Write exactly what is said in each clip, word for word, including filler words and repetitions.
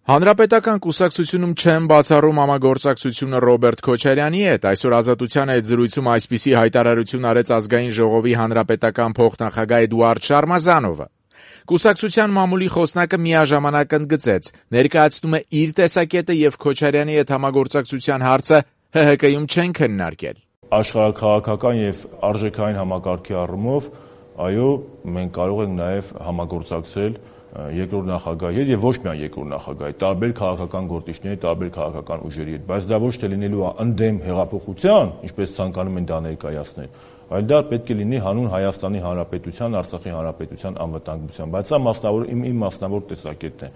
Հանրապետական կուսակցությունում չեն բացառում համագործակցությունը Ռոբերտ Քոչարյանի հետ։ Այսօր Ազատության հետ զրույցում այսպիսի հայտարարություն արեց Ազգային ժողովի հանրապետական փոխնախագահ Էդուարդ Շարմազանովը։ Կուսակցության մամուլի խոսնակը միաժամանակ ընդգծեց, ներկայացնում է իր տեսակետը եւ Քոչարյանի հետ համագործակցության հարցը Հ Հ Կում չեն քննարկել։ Աշխարհաքաղաքական եւ արժեքային համակարգի առումով, այո, մենք կարող ենք նաեւ համագործակցել երկրորդ նախագահի հետ եւ ոչ միայն երկրորդ նախագահի, տարբեր քաղաքական գործիչների, տարբեր քաղաքական ուժերի հետ, բայց դա ոչ թե լինելու է ընդդեմ հեղափոխության, ինչպես ցանկանում են դա ներկայացնել, այլ դա պետք է լինի հանուն Հայաստանի Հանրապետության, Արցախի Հանրապետության անվտանգության, բայց սա մասնավոր իմ իմ մասնավոր տեսակետն է։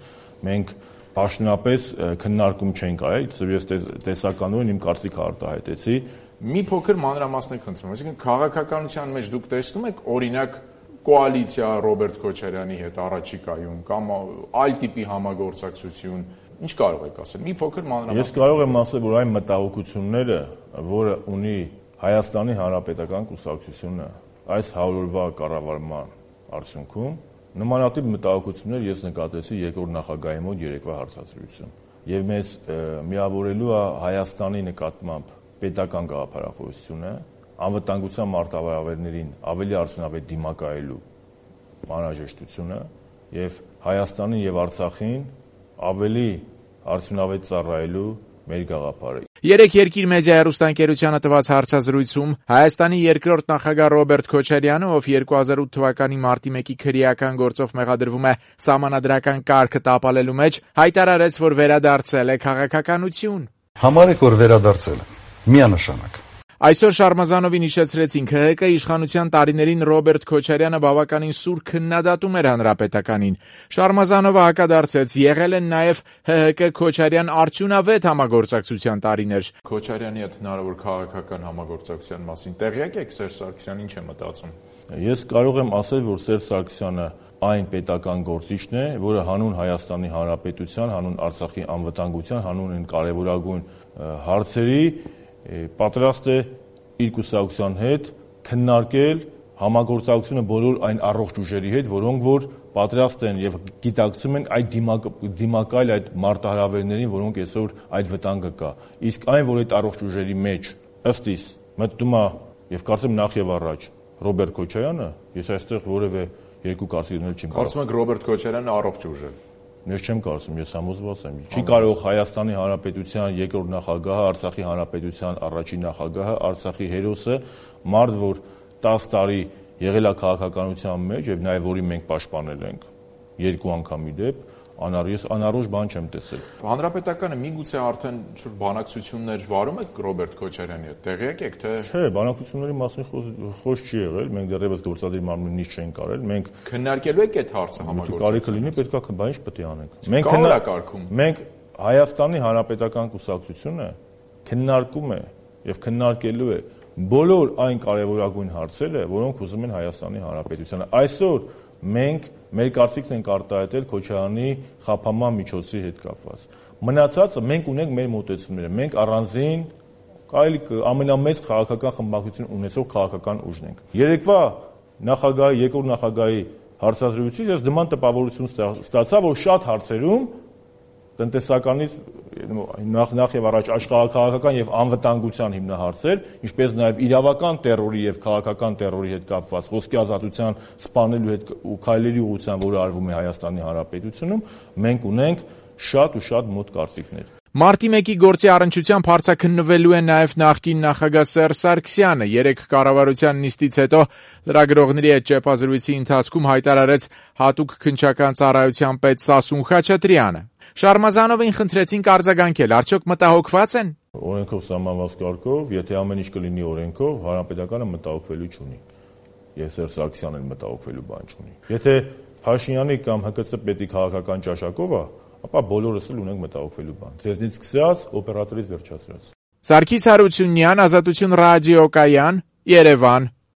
Մենք պաշտոնապես քննարկում չենք արել, ես տեսականորեն իմ կարծիքը արտահայտեցի։ Մի փոքր մանրամասներ խնդրում եմ, այսինքն քաղաքականության մեջ դուք տեսնում եք օրինակ կոալիցիա Ռոբերտ Քոչարյանի հետ առաջիկայում կամ այլ տիպի համագործակցություն, ինչ կարող եք ասել։ Մի փոքր մանրամասներ։ Ես կարող եմ ասել, որ այն մտահոգությունները, որը ունի Հայաստանի Հանրապետական կուսակցությունը այս հարյուրվա կառավարման արդյունքում, նմանատիպ մտահոգություններ ես նկատեցի երկրորդ նախագահի մոտ երեկվա հարցազրույցում։ Եվ մեզ միավորելու է Հայաստանի նկատմամբ պետական գաղափարախոսությունը, անվտանգության մարտավարավերներին ավելի արդյունավետ դիմակայելու անհրաժեշտությունը եւ Հայաստանին եւ Արցախին ավելի արդյունավետ ծառայելու մեր գաղափարը։ Երեք երկիր մեդիա հեռուստաընկերությանը տված հարցազրույցում Հայաստանի երկրորդ նախագահ Ռոբերտ Քոչարյանը, ով երկու հազար ութ թվականի մարտի մեկի քրեական գործով մեղադրվում է սահմանադրական կարգը տապալելու մեջ, հայտարարեց, որ վերադարձել է քաղաքականություն։ Համարեք, որ վերադարձել է, միանշանակ։ Այսօր Շարմազանովին հիշեցրեցին K H K իշխանության տարիներին Ռոբերտ Քոչարյանը բավականին սուր քննադատում էր հանրապետականին։ Շարմազանովը հակադարձեց, եղել են նաև H H K Քոչարյան արդյունավետ համագործակցության տարիներ։ Քոչարյանի հետ հնարավոր քաղաքական համագործակցության մասին տեղյակ եք Սերժ Սարգսյանն ինչ է մտածում։ Ես կարող եմ ասել, որ Սերժ Սարգսյանը այն պետական գործիչն է, որը հանուն Հայաստանի Հանրապետության, հանուն Արցախի անվտանգության, հանուն այն կարևորագույն հարցերի պատրաստ է իր կուսակցության հետ քննարկել համագործակցությունը բոլոր այն առողջ ուժերի հետ, որոնք որ պատրաստ են եւ գիտակցում են այդ դիմակայել այդ մարտահրավերներին, որոնք այսօր այդ վտանգը կա։ Իսկ այն, որ այդ առողջ ուժերի մեջ ըստ իս մտնում է եւ կարծեմ նախ եւ առաջ Ռոբերտ Քոչարյանը, ես այստեղ որևէ երկու կարծիք դնել չեմ կարող։ Կարծում եք Ռոբերտ Քոչարյանը առողջ ուժ է։ Ես չեմ կարծում, ես համոզված եմ։ Չի կարող Հայաստանի Հանրապետության երկրորդ նախագահը, Արցախի Հանրապետության առաջին նախագահը, Արցախի հերոսը, մարդ, որ տասը տարի եղել է քաղաքականության մեջ եւ նաեւ որին մենք պաշտպանել ենք երկու անգամ ի դեպ, անառ անառուժ բան չեմ տեսել։ Հանրապետականը միգուցե արդեն շուտ բանակցություններ վարում եք Ռոբերտ Քոչարյանի հետ, տեղյակ եք թե։ Չէ, բանակցությունների մասին խոսք չի եղել, մենք դեռևս գործադիր մարմնի նիստ չենք կարել, մենք քննարկելու եք այդ հարցը համագործակցություն։ Կարիքը լինի, պետք է, բա ինչ պետք է անենք։ Մենք քննարկում։ Մենք Հայաստանի Հանրապետական կուսակցությունը քննարկում է եւ քննարկելու է բոլոր այն կարևորագույն հարցերը, որոնք ուզում են Հայաստանի Հանրապետությանը։ Այսօր մենք մեր կարծիքն ենք արտահայտել Քոչարյանի խափանման միջոցի հետ կապված։ Մնացածը մենք ունենք մեր մոտեցումները, մենք առանձին կարելի ամենամեծ քաղաքական խմբակցություն ունեցող քաղաքական ուժն ենք։ Երեկվա նախագահի, երկրորդ նախագահի հարցազրույցից ես նման տպավորություն ստացա, որ շատ հարցերում տնտեսականից նախ նախ եւ առաջ աշխարհակաղակական եւ անվտանգության հիմնահարցեր, ինչպես նաեւ իրավական terror-ի եւ քաղաքական terror-ի հետ կապված խոսքի ազատության սպանելու հետ ու քայլերի ուղղությամբ, որը արվում է Հայաստանի Հանրապետությունում, մենք ունենք շատ ու շատ մոտ կարծիքներ։ Մարտի մեկի գործի առնչությամբ հարցաքննվելու է նաև նախկին նախագահ Սերժ Սարգսյանը։ Երեք կառավարության նիստից հետո լրագրողների հետ ճեպազրույցի ընթացքում հայտարարեց հատուկ քննչական ծառայության պետ Սասուն Խաչատրյանը։ Շարմազանովին խնդրեցին արձագանքել, արդյոք մտահոգված են։ Օրենքով սահմանված կարգով, եթե ամեն ինչ կլինի օրենքով, Հանրապետականը մտահոգվելու չունի։ Ես Սերժ Սարգսյանն մտահոգվելու բան չունի։ Եթե Փաշինյանի կամ Հ K C պետի քաղաքական ճաշակով է, ապա բոլորս էլ ունենք մտահոգվելու բան։ Ձեզնից սկսած, օպերատորից վերջացրած։ Սարգիս Հարությունյան, Ազատություն ռադիոկայան, Երևան։